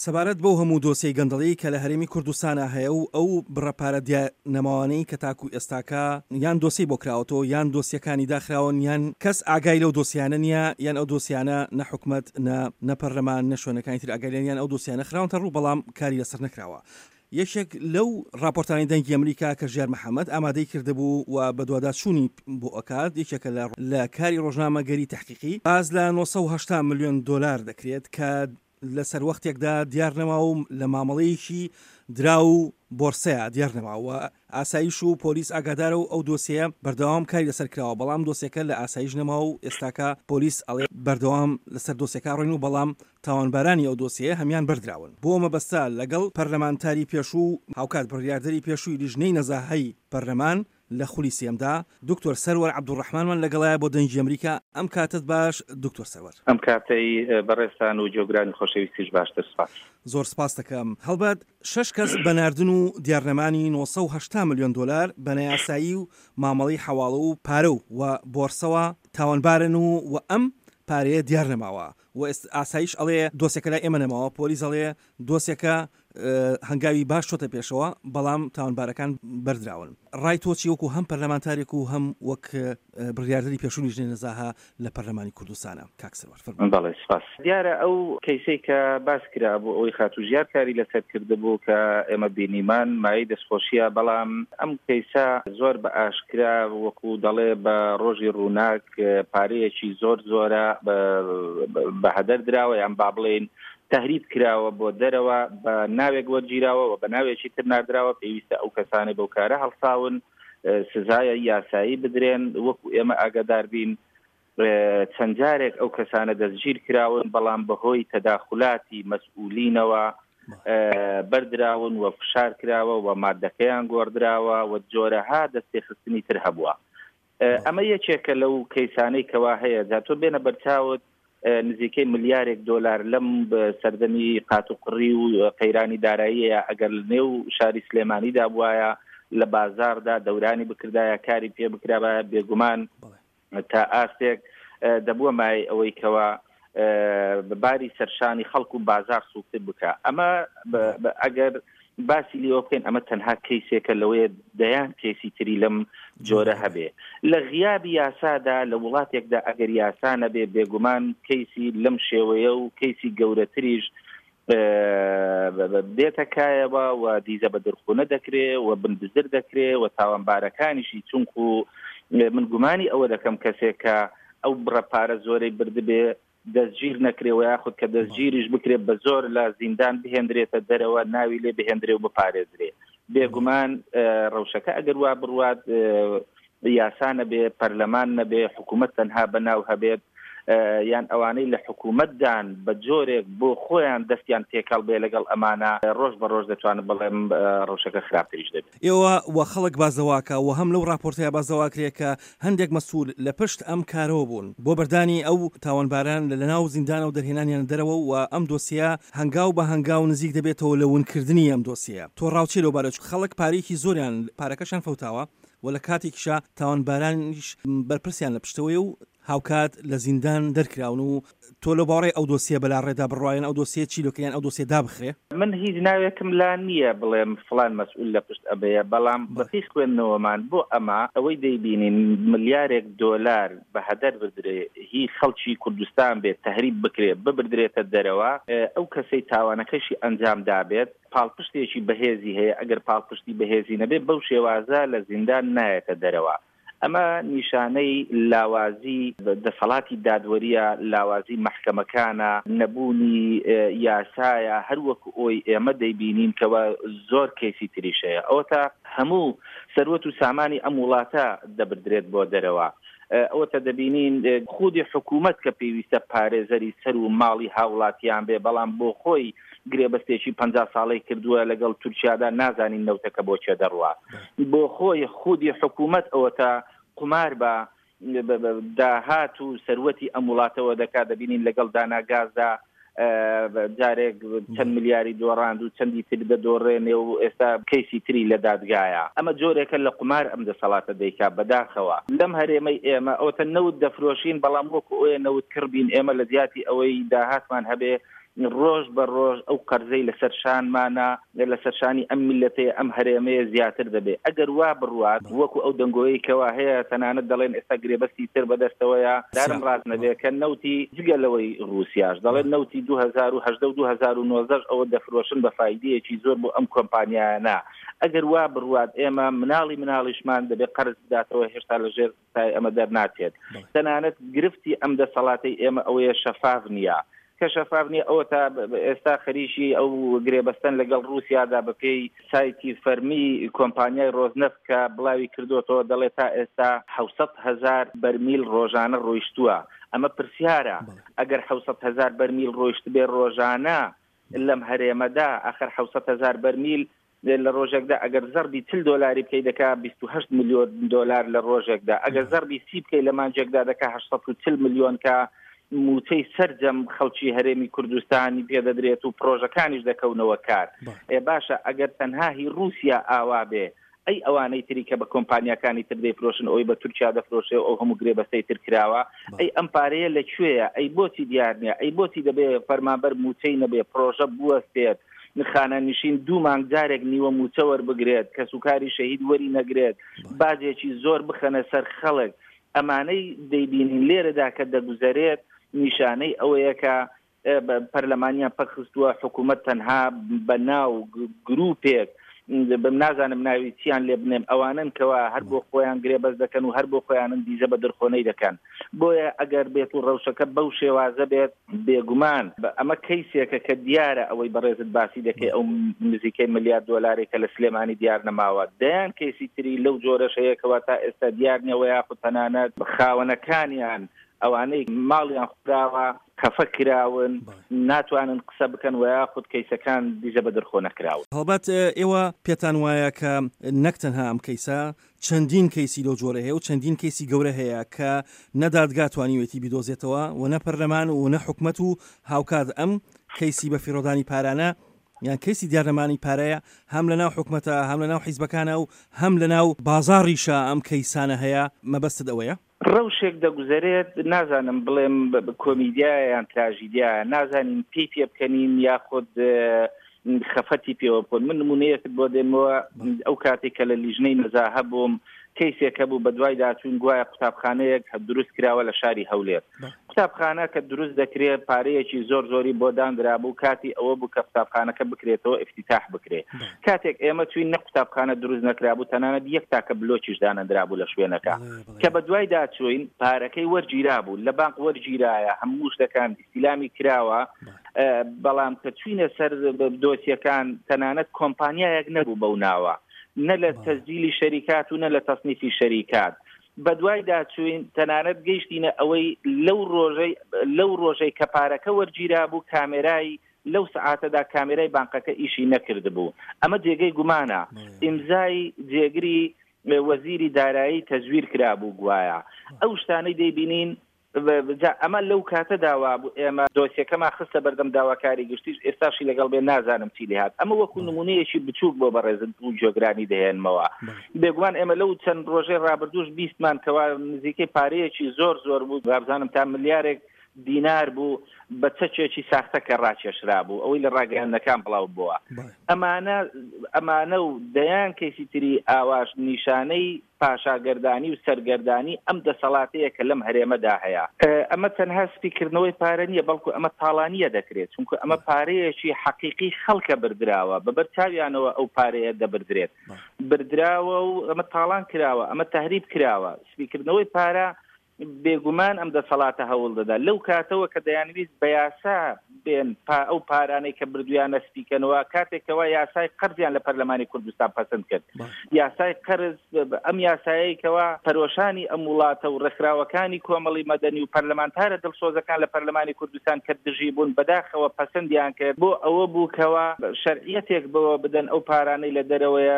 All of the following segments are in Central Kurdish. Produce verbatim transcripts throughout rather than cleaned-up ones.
سەبارەت بەو هەموو دۆسیەی گەندەڵی کە لە هەرێمی کوردستانا هەیە و ئەو بڕە پارە دیار نەماوانەی کە تاکو ئێستاکە یان دۆسیەی بۆ کراوەتەوە یان دۆسیەکانی داخراون یان کەس ئاگای لەو دۆسیانە نییە یان ئەو دۆسیانە نە حکومەت نە نە پەرلەمان نە شوێنەکانی تر ئاگای لێن یان ئەو دۆسیانە خراونەتە ڕوو بەڵام کاری لەسەر نەکراوە. یەکێک لەو ڕاپۆرتانەی دەنگی ئەمریکا کە ژیار محەمەد ئامادەی کردبوو و بەدواداچوونی بۆ ئەکات یەکێکە لە لە کاری ڕۆژنامەگەری تەحقیقی باس لە نۆ سەد و هەشتا ملیۆن دۆلار دەکرێت کە لە سەروەختێکدا دیار نەما و لە مامەڵەیەکی دراو و بۆرسەیا دیار نەما و ئاسایش و پۆلیس ئاگادارە و ئەو دۆسیەیە بەردەوام کاری لەسەر کراوە بەڵام دۆسیەکە لە ئاسایش نەما و ئێستاکە پۆلیس ئەڵێ بەردەوام لەسەر دۆسیەکە ڕۆین و بەڵام تاوانبارانی ئەو دۆسیەیە هەمیان بەردراون بۆ مەبەستە لەگەڵ پەرلەمانتاری پێشوو و هاوکات بڕیاردەری پێشووی لیژنەی نەزاهەی پەرلەمان لە خولی سێیەمدا دکتۆر سەروەر عەبدولڕەحمانمان لەگەڵایە بۆ دەنگی ئەمریکا. ئەم کاتەت باش دکتۆر سەروەر. ئەم کاتەی بەڕێزتان و گوێگرانی خۆشەویستیش باشتر سپاس. زۆر سپاست دەکەم. هەڵبەت شەش کەس بە ناردن و دیارنەمانی نۆ سەد و هەشتا ملیۆن دۆلار بە نایاسایی و مامەڵەی حەواڵە و پارە و و بۆرسەوە تاوانبارن و و ئەم پارەیە دیار نەماوە و ئاسایش ئەڵێ دۆسیەکە لای ئێمە نەماوە، پۆلیس ئەڵێ دۆسیەکە هەنگاوی باش چۆتە پێشەوە بەڵام تاوانبارەکان بەردراون. ڕای تۆ چی وەکو هەم پەرلەمانتارێک و هەم وەک بڕیاردەری پێشوو لیژنەی نەزاهە لە پەرلەمانی کوردستانە؟ کاک سەروەر فەرموو. بەڵێ سپاس. دیارە ئەو کەیسەی کە باس کرا بۆ ئەوەی خاتوو ژیار کاری لەسەر کردبوو کە ئێمە بینیمان مایەی دەستخۆشیە، بەڵام ئەم کەیسە زۆر بە ئاشکرا وەکو دەڵێ بە ڕۆژی ڕووناک پارەیەکی زۆر زۆرە بە هەدەر دراوە یان با بڵێین تهریب کراوە بۆ دەرەوە، بە ناوێک وەرگیراوە و بە ناوێکی تر ناردراوە. پێویستە ئەو کەسانەی بەو کارە هەڵساون سزای یاسایی بدرێن. وەکو ئێمە ئاگادار بین چەند جارێک ئەو کەسانە دەستگیر کراون، بەڵام بەهۆی تەداخولاتی مەسئولینەوە بەردراون و فشار کراوە و مادەکەیان گۆڕدراوە و جۆرەها دەستێخستنی تر هەبووە. ئەمە یەکێکە لەو کەیسانەی کەوا هەیە. جا تۆ بێنە بەرچاوت نزیکەی ملیارێک دۆلار لەم سەردەمی قاتوقڕی و قەیرانی داراییە ئەگەر لەنێو شاری سلێمانیدا بوایە لە بازاردا دەورانی بکردایە کاری پێ بکرابایە بێگومان تا ئاستێک دەبووە مای ئەوەی کەوا باری سەرشانی خەڵک و بازار سووکتر بکە. ئەمە ئەگەر باسی لێوە بکەین ئەمە تەنها کەیسێکە لەوەیە دەیان کەیسی تری لەم جۆرە هەبێ. لە غیابی یاسادا لە وڵاتێکدا ئەگەر یاسا نەبێ بێگومان کەیسی لەم شێوەیە و کەیسی گەورەتریش دێتە کایەوە و دیزە بە دەرخونە دەکرێ و بنبزر دەکرێ و تاوانبارەکانیشی، چونکو من گومانی ئەوە دەکەم کەسێک کە ئەو بڕە پارە زۆرەی بردبێ دەستگیر نەکرێ و یاخود کە دەستگیریش بکرێ بە زۆر لە زیندان بهێندرێتە دەرەوە ناوی لێ بهێندرێ و بپارێزرێ. بێگومان ڕەوشەکە ئەگەر وا بڕوات یاسا نەبێ، پەرلەمان نەبێ، حکوومەت تەنها بەناو هەبێت، یان ئەوانەی لە حکوومەتدان بە جۆرێک بۆ خۆیان دەستیان تێکەڵ بێ لەگەڵ ئەمانە، ڕۆژ بە ڕۆژ دەتوانم بڵێم ڕەوشەکە خراپتریش دەبێت. ئێوە و خەڵک باس لەوە و هەم لەو راپۆرتەیە باس لەوە کرێ کە هەندێک مەسئول لە پشت ئەم کارەوە بوون بۆ بەردانی ئەو تاوانباران لە ناو زیندانە و دەرهێنانیان دەرەوە و ئەم دۆسیە هەنگاو بە هەنگاو نزیک دەبێتەوە لە ونکردنی ئەم دۆسیە. تۆ ڕاوچێ لەو بارە چونکە خەڵک پارەیەکی زۆریان پارەکەشیان فەوتاوە و لە کاتێکیشا تاوانبارانیش بەرپرسیان لە پشتەوەی و هاوکات لە زیندان دەرکراون و تۆ لەو باوەڕەی ئەو دۆسیە بەلا ڕێدا بڕوایەن ئەو دۆسیە چی لۆکەیان ئەو دۆسیە دابخرێ؟ من هیچ ناوێکم لا نییە بڵێم فڵان مەسئول لە پشت ئەمەیە، بەڵام بەپێی خوێندنەوەمان بۆ ئەمە ئەوەی دەیبینین ملیارێک دۆلار بە هەدەر بدرێ هی خەڵکی کوردستان بێت تهریب بکرێ ببردرێتە دەرەوە، ئەو کەسەی تاوانەکەشی ئەنجام دابێت پاڵپشتێکی بەهێزی هەیە، ئەگەر پاڵپشتی بەهێزی نەبێت بەو شێوازە لە زیندان نایەتە دەرەوە. ئەمە نیشانەی لاوازی دەسەڵاتی دادوەریە، لاوازی مەحکەمەکانە، نەبوونی یاسایە، هەر وەکو ئەوی ئێمە دەیبینین کەەوە زۆر کەیسی تریش هەیە. ئەوەتا هەموو سەروەت و سامانی ئەم وڵاتە دەبردرێت بۆ دەرەوە. ئەوەتە دەبینین خودی حکوومەت کە پێویستە پارێزەری سەر و ماڵی هاوڵاتیان بێ، بەڵام بۆ خۆی گرێبەستێکی پەنجا ساڵەی کردووە لەگەڵ تورکیادا، نازانین نەوتەکە بۆ چێ دەڕوا. بۆ خۆی خودی حکوومەت ئەوەتە قومار بە داهات و سەروەتی ئەم وڵاتەوە دەکات. دەبینین لەگەڵ داناگازدا جارێک چەند ملیاری دۆڕاند و چەندی تر دەدۆڕێنێ و ئێستا کەیسی تری لە دادگایە. ئەمە جۆرێکە لە قومار ئەم دەسەڵاتە دەیکا. بەداخەوە لەم هەرێمەی ئێمە ئەوەتە نەوت دەفرۆشین، بەڵام وەکو ئەوەیە نەوت کڕ بین. ئێمە لە جیاتی ئەوەی داهاتمان هەبێ ڕۆژ بە ڕۆژ ئەو قەرزەی لەسەر شانمانە لەسەر شانی ئەم میللەتەیە ئەم هەرێمەیە زیاتر دەبێت. ئەگەر وا بڕوات وەکو ئەو دەنگۆیەی کەوا هەیە، تەنانەت دەڵێن ئێستا گرێبەستی تر بەدەستەوەیە، دارم ڕاست نەبێ کە نەوتی جگە لەوەی ڕووسیاش دەڵێن نەوتی دوو هەزار و هەژدە و دوو هەزار و نۆزدە ئەوە دەفرۆشن بە فایدەیەکی زۆر بۆ ئەم کۆمپانیایانە. ئەگەر وا بڕوات ئێمە مناڵی مناڵیشمان دەبێت قەرز بداتەوە، هێشتا لەژێر سای ئەمە دەرناچێت. تەنانەت گرفتی ئەم دەسەڵاتەی ئێمە ئەوەیە شەفاف نییە، کە شەفاف نییە ئەوە تا ئێستا خەریکی ئەو گرێبەستن لەگەڵ ڕووسیادا بەپێی سایتی فەرمی کۆمپانیای ڕۆزنەفت کە بڵاوی کردوتەوە دەڵێت تا ئێستا حەوسەد هەزار بەرمیل ڕۆژانە ڕۆیشتووە. ئەمە پرسیارە، ئەگەر حەوسەد هەزار بەرمیل ڕۆیشت بێ ڕۆژانە لەم هەرێمەدا، ئەخر حەوسەد هەزار بەرمیل لە ڕۆژێکدا ئەگەر زەربی چل دۆلاری بکەی دەکا بیست و هەشت ملیۆن دۆلار لە ڕۆژێکدا، ئەگەر زەربی سی بکەی لە مانجێکدا دەکا هەشت سەد و چل ملیۆن کە موچەی سەرجەم خەڵکی هەرێمی کوردستانی پێدەدرێت و پرۆژەکانیش دەکەونەوە کار. ئێ باشە ئەگەر تەنها هی ڕووسیا ئاوا بێ، ئەی ئەوانەی تری کە بە کۆمپانیاکانی تر دەیفرۆشن، ئەوەی بە تورکیا دەفرۆشێ و ئەو هەموو گرێبەستەی تر کراوە، ئەی ئەم پارەیە لەکوێیە؟ ئەی بۆچی دیار نییە؟ ئەی بۆچی دەبێ فەرمانبەر موچەی نەبێ، پرۆژە بوەستێت، خانەنشین دوو مانگ جارێک نیوە موچە وەربگرێت، کەسوکاری شەهید وەری نەگرێت، باجێکی زۆر بخەنە سەر خەڵک؟ ئەمانەی دەیبینین لێرەدا کە دەگوزەرێت نیشانەی ئەوەیە کە پەرلەمانیان پەکخستووە، حکوومەت تەنها بە ناو گروپێک بم نازانم ناوی چیان لێ بنێم، ئەوانن کەوا هەر بۆ خۆیان گرێبەست دەکەن و هەر بۆ خۆیانن دیزە بە دەرخۆنەی دەکەن. بۆیە ئەگەر بێت و ڕەوشەکە بەو شێوازە بێت، بێگومان ئەمە کەیسێکە کە دیارە ئەوەی بەڕێزت باسی دەکەی ئەو نزیکەی ملیار دۆلارێک کە لە سلێمانی دیار نەماوە، دەیان کەیسی تری لەو جۆرەش هەیە کەوا تا ئێستا دیار نییە، یاخود تەنانەت خاوەنەکانیان ئەوانەی ماڵیان خوراوە خەفە کراون، ناتوانن قسە بکەن و یاخود کەیسەکان دیزە بە دەرخۆ نەکراون. هەڵبەت ئێوە پێتان وایە کە نەک تەنها ئەم کەیسە، چەندین کەیسی لەو جۆرە هەیە و چەندین کەیسی گەورە هەیە کە نەدادگا توانیوێتی بیدۆزێتەوە و نە پەرلەمان و نە حکومەت و هاوکات ئەم کەیسی بە فیڕۆدانی پارانە یان کەیسی دیارنەمانی پارەیە هەم لە ناو حکومەتە، هەم لە ناو حیزبەکانە و هەم لە ناو بازاڕیشە ئەم کەیسانە هەیە. مەبەستت ئەوەیە؟ ڕەوشێک دەگوزەرێت، نازانم بڵێم کۆمیدیایە یان تراژیدیایە، نازانین پێی پێ بکەنین یاخود خەفەتی پێوە بکەن. من نمونەیەکت بۆ دێنمەوە، ئەو کاتێک کە لە لیژنەی نەزاهە بووم کەیسێک هەبوو بە دوای داچوون گوایە قوتابخانەیەک دروست کراوە لە شاری هەولێر. قوتابخانە کە دروست دەکرێت پارەیەکی زۆر زۆری بۆ دانرابوو، کاتی ئەوە بوو کە قوتابخانەکە بکرێتەوە ئفتتاح بکرێت. کاتێک ئێمە چوین نە قوتابخانە دروست نەکرابوو، تەنانەت یەک تاکە بلۆکیش دانەندرابوو لە شوێنەکە. کە بە دوای داچوین پارەکەی وەرگیرابوو، لە بانک وەرگیرایە، هەموو شتەکان ئیستیلامی کراوە، بەڵام کە چوینە سەر دۆسیەکان تەنانەت کۆمپانیایەک نەبوو بەو ناوە، نە لە تەسجیلی شەریکات و نە لە تەصنیفی شەریکات. بە دوای داچوین تەنانەت گەیشتینە ئەوەی لەو ڕۆژەی لەو ڕۆژەی کە پارەکە وەرگیرا بوو کامێرای لەو سعاتەدا کامێرای بانقەکە ئیشی نەکردبوو. ئەمە جێگەی گومانە. ئیمزای جێگری وەزیری دارایی تەزویر کرابوو گوایە. ئەو شتانەی دەیبینین ئەمە لەو کاتەدا وابوو ئێمە دۆسیەکەمان خستە بەردەم داواکاری گشتیش، ئێستاشی لەگەڵ بێ نازانم چی لێهات. ئەمە وەکو نمونەیەکی بچووک بۆ بەڕێزت و جۆگرانی دەهێنمەوە. بێگومان ئێمە لەو چەند ڕۆژەی ڕابردووش بیستمان کەوا نزیکەی پارەیەکی زۆر زۆر بوو، وابزانم تا ملیارێک دینار بوو بە چەکێکی ساختە کە ڕاکێشرا بوو، ئەوەی لە ڕاگەیاندنەکان بڵاو بووە. ئەمانە ئەمانە و دەیان کەیسی تری ئاواش نیشانەی پاشاگەردانی و سەرگەردانی ئەم دەسەڵاتەیە کە لەم هەرێمەدا هەیە. ئەمە تەنها سپیکردنەوەی پارە نییە، بەڵکو ئەمە تاڵانیە دەکرێت، چونکە ئەمە پارەیەکی حەقیقی خەڵکە بردراوە، بەبەر چاویانەوە ئەو پارەیە دەبردرێت، بردراوە و ئەمە تاڵان کراوە، ئەمە تەهریب کراوە. سپیکردنەوەی پارە بێگومان ئەم دەسەڵاتە هەوڵ دەدا لەو کاتەوە کە دەیانویست بە یاسا بێن ئەو پارانەی کە بردویانە سپیکەنەوە، کاتێکەوە یاسای قەرزیان لە پەرلەمانی کوردستان پەسەند کرد. یاسای قەرز ئەم یاسایەیکەوە پەرۆشانی ئەم وڵاتە و ڕێکخراوەکانی کۆمەڵی مەدەنی و پەرلەمانتارە دڵسۆزەکان لە پەرلەمانی کوردستان کە دژی بوون بەداخەوە پەسەندیان کرد بۆ ئەوە بوو کەوا شەرعیەتێک بەوە بدەن ئەو پارانەی لە دەرەوەیە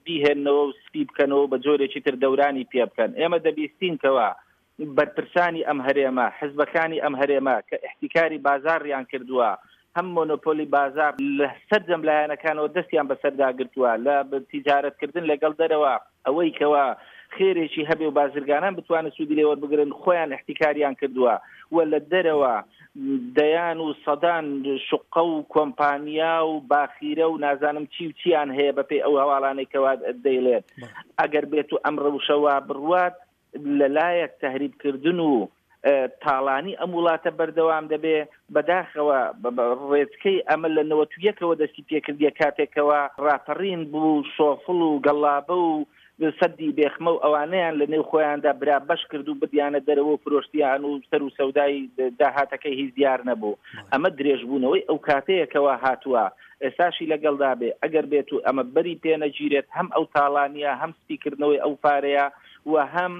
بیهێننەوە و سپی بکەنەوە بە جۆرێکی تر دەورانی پێ بکەن. ئێمە دەبیستین کەوا بەرپرسانی ئەم هەرێمە، حزبەکانی ئەم هەرێمە کە احتیکاری بازاڕیان کردووە، هەم مۆنۆپۆلی بازار لە سەرجەم لایەنەکانەوە دەستیان بەسەردا گرتووە، لە تیجارەتکردن لەگەڵ دەرەوە ئەوەی کەوا خێرێکی هەبێ و بازرگانان بتوانن سوودی لێ وەربگرن خۆیان احتیکاریان کردووە و لە دەرەوە دەیان و سەدان شوقە و کۆمپانیا و باخیرە و نازانم چی و چیان هەیە بەپێی ئەو هەواڵانەی کەوا دەیڵێن. ئەگەر بێت و ئەم ڕەوشەوە بڕوات، لەلایەک تەهریبکردن و تاڵانی ئەم وڵاتە بەردەوام دەبێ. بەداخەوە ڕێچکەی ئەمە لە نەوەت و یەکەوە دەستی پێکردیە، کاتێکەوە ڕاپەڕین بوو، شۆفڵ و گەڵابە و سەدی بێخمە و ئەوانەیان لە نێو خۆیاندا برا بەش کرد و بدیانە دەرەوە و فرۆشتیان و سەر و سەودای داهاتەکەی هیچ دیار نەبوو. ئەمە درێژبوونەوەی ئەو کاتەیەکەوە هاتووە، ئێستاشی لەگەڵدا بێ. ئەگەر بێت و ئەمە بەری پێنەگیرێت، هەم ئەو تاڵانیە، هەم سپیکردنەوەی ئەو پارەیە و هەم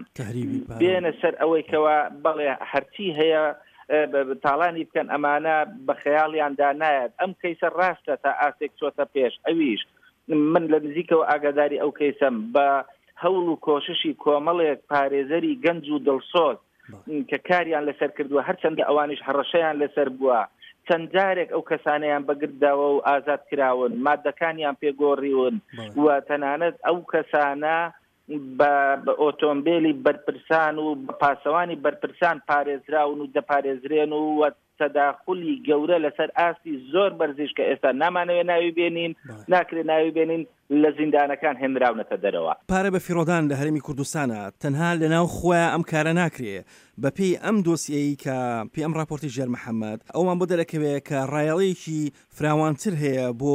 بێنە سەر ئەوەی کەوا بەڵێ هەرچی هەیە تاڵانی بکەن، ئەمانە بە خەیاڵیاندا نایەت. ئەم کەیسە ڕاستە تا ئاستێک چۆتە پێش، ئەویش من لە نزیکەوە ئاگاداری ئەو کەیسەم بە هەوڵ و کۆششی کۆمەڵێک پارێزەری گەنج و دڵسۆز کە کاریان لەسەر کردووە، هەرچەندە ئەوانیش هەڕەشەیان لەسەر بووە، چەند جارێک ئەو کەسانەیان بەگردداوە و ئازاد کراون، مادەکانیان پێگۆڕیون و تەنانەت ئەو کەسانە بە ئۆتۆمبیلی بەرپرسان و بە پاسەوانی بەرپرسان پارێزراون و دەپارێزرێن و تەداخلی گەورە لەسەر ئاستی زۆر بەرزیش کە ئێستا نامانەوێ ناوی بێنین، ناکرێ ناوی بێنین، لە زیندانەکان هێنراونەتە دەرەوە. پارە بە فیڕۆدان لە هەرێمی کوردستانە تەنها لەناو خۆیان ئەم کارە ناکرێ. بەپێی ئەم دۆسیەی کە پێی ئەم راپۆرتی ژیار محەممەد ئەومان بۆ دەرەکەوێت کە ڕایەڵێکی فراوانتر هەیە بۆ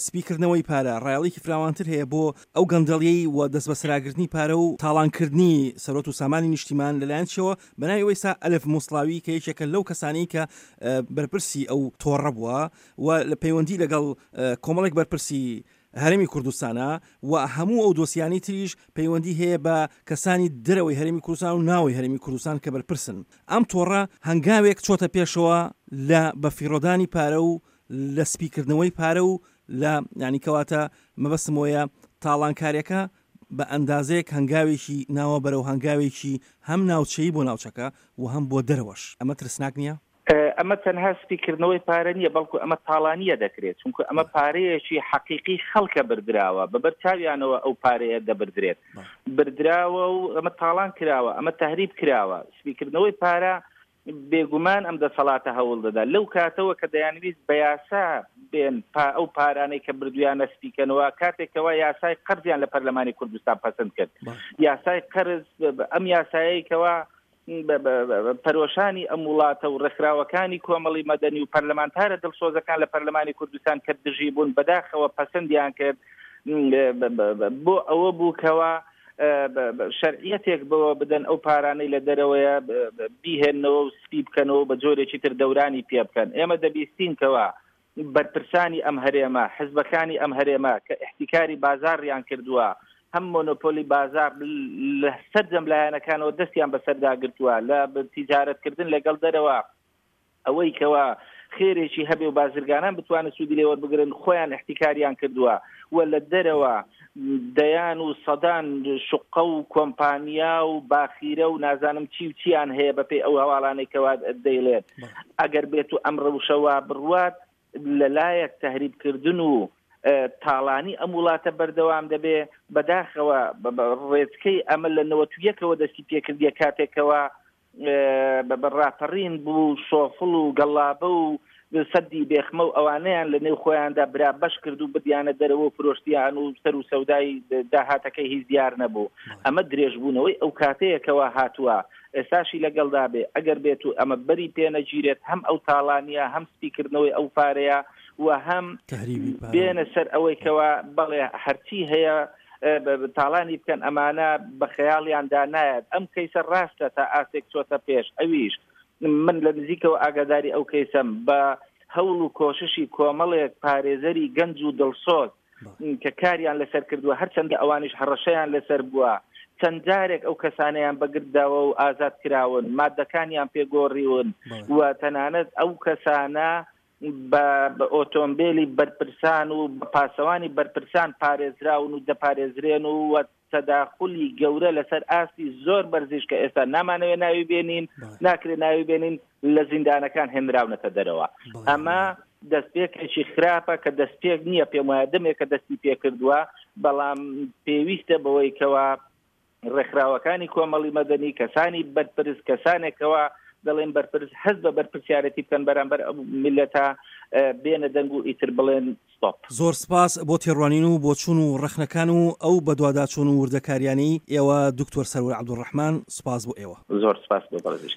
سپیکردنەوەی پارە، ڕایەڵێکی فراوانتر هەیە بۆ ئەو گەندەڵیەی و دەست بەسەراگرتنی پارە و تاڵانکردنی سەرۆت و سامانی نیشتیمان لەلایەن چیەوە بەناوی وەیسا ئەلف موسڵاوی کە یەکێکە لەو کەسانی کە بەرپرسی ئەو تۆڕە بووە و لە پەیوەندی لەگەڵ کۆمەڵێک بەرپرسی هەرێمی کوردستانە و هەموو ئەو دۆسیانی تریش پەیوەندی هەیە بە کەسانی دەرەوەی هەرێمی کوردستان و ناوەی هەرێمی کوردستان کە بەرپرسن. ئەم تۆڕە هەنگاوێک چۆتە پێشەوە لە بەفیڕۆدانی پارە و لە سپیکردنەوەی پارە و لە ینی کەواتە مەبەستمەوەیە تاڵانکاریەکە بە ئەندازەیەک هەنگاوێکی ناوە بەرەو هەنگاوێکی هەم ناوچەی بۆ ناوچەکە و هەم بۆ دەرەوەش. ئەمە ترسناک نییە؟ ئەمە تەنها سپیکردنەوەی پارە نییە، بەڵکو ئەمە تاڵانیە دەکرێت، چونکە ئەمە پارەیەکی حەقیقی خەڵکە بردراوە، بەبەر چاویانەوە ئەو پارەیە دەبردرێت، بردراوە و ئەمە تاڵان کراوە، ئەمە تەهریب کراوە. سپیکردنەوەی پارە بێگومان ئەم دەسەڵاتە هەوڵ دەدا لەو کاتەوە کە دەیانویست بە یاسا بێن ئەو پارانەی کە بردویانە سپیکەنەوە، کاتێکەوە یاسای قەرزیان لە پەرلەمانی کوردستان پەسەند کرد. یاسای قەرز ئەم یاسایەیکەوە پەرۆشانی ئەم وڵاتە و ڕێکخراوەکانی کۆمەڵی مەدەنی و پەرلەمانتارە دڵسۆزەکان لە پەرلەمانی کوردستان کە دژی بوون بەداخەوە پەسەندیان کرد، بۆ ئەوە بوو کەوا شەرعیەتێک بەوە بدەن ئەو پارانەی لە دەرەوەیە بیهێننەوە و سپی بکەنەوە بە جۆرێکی تر دەورانی پێ بکەن. ئێمە دەبیستین کەوا بەرپرسانی ئەم هەرێمە، حزبەکانی ئەم هەرێمە کە احتیکاری بازاڕیان کردووە، هەم مۆنۆپۆلی بازار لە سەرجەم لایەنەکانەوە دەستیان بەسەردا گرتووە، لە تیجارەتکردن لەگەڵ دەرەوە ئەوەی کەوا خێرێکی هەبێ و بازرگانان بتوانن سوودی لێ وەربگرن خۆیان احتیکاریان کردووە و لە دەرەوە دەیان و سەدان شوقە و کۆمپانیا و باخیرە و نازانم چی و چیان هەیە بەپێی ئەو هەواڵانەی کەوا دەیڵێن. ئەگەر بێت و ئەم ڕەوشەوە بڕوات، لەلایەک تەهریبکردن و تاڵانی ئەم وڵاتە بەردەوام دەبێ. بەداخەوە ڕێچکەی ئەمە لە نەوەت و یەکەوە دەستی پێکردیە، کاتێکەوە بە ڕاپەڕین بوو، شۆفڵ و گەڵابە و سەدی بێخمە و ئەوانەیان لە نێو خۆیاندا برا بەش کرد و بدیانە دەرەوە و فرۆشتیان و سەر و سەودای داهاتەکەی هیچ دیار نەبوو. ئەمە درێژبوونەوەی ئەو کاتەیەکەوە هاتووە، ئێستاشی لەگەڵدا بێ. ئەگەر بێت و ئەمە بەری پێنەگیرێت، هەم ئەو تاڵانیە، هەم سپیکردنەوەی ئەو پارەیە و هەم بێنە سەر ئەوەی کەوا بەڵێ هەرچی هەیە تاڵانی بکەن، ئەمانە بە خەیاڵیاندا نایەت. ئەم کەیسە ڕاستە تا ئاستێک چۆتە پێش، ئەویش من لە نزیکەوە ئاگاداری ئەو کەیسەم بە هەوڵ و کۆششی کۆمەڵێک پارێزەری گەنج و دڵسۆز کە کاریان لەسەر کردووە، هەرچەندە ئەوانیش هەڕەشەیان لەسەر بووە، چەند جارێک ئەو کەسانەیان بەگردداوە و ئازاد کراون، مادەکانیان پێگۆڕیون و تەنانەت ئەو کەسانە بە ئۆتۆمبیلی بەرپرسان و بە پاسەوانی بەرپرسان پارێزراون و دەپارێزرێن و تەداخلی گەورە لەسەر ئاستی زۆر بەرزیش کە ئێستا نامانەوێ ناوی بێنین، ناکرێ ناوی بێنین، لە زیندانەکان هێنراونەتە دەرەوە. ئەمە دەستپێکێکی خراپە کە دەستپێک نییە، پێم وایە دەمێک کە دەستی پێکردووە، بەڵام پێویستە بەوەی کەوا ڕێکخراوەکانی کۆمەڵی مەدەنی، کەسانی بەرپرس، کەسانێکەوە دەڵێن بەرپرس هەست بە بەرپرسیارەتی بکەن بەرامبەر ئەو میللەتە، بێنە دەنگ و ئیتر بڵێن ستۆپ. زۆر سپاس بۆ تێڕوانین و بۆچوون و ڕەخنەکان و ئەو بەدواداچوون و وردەکاریانەی ئێوە دکتۆر سەروەر عەبدولڕەحمان، سپاس بۆ ئێوە. زۆر سپاس بۆ بەڕێزیشتان.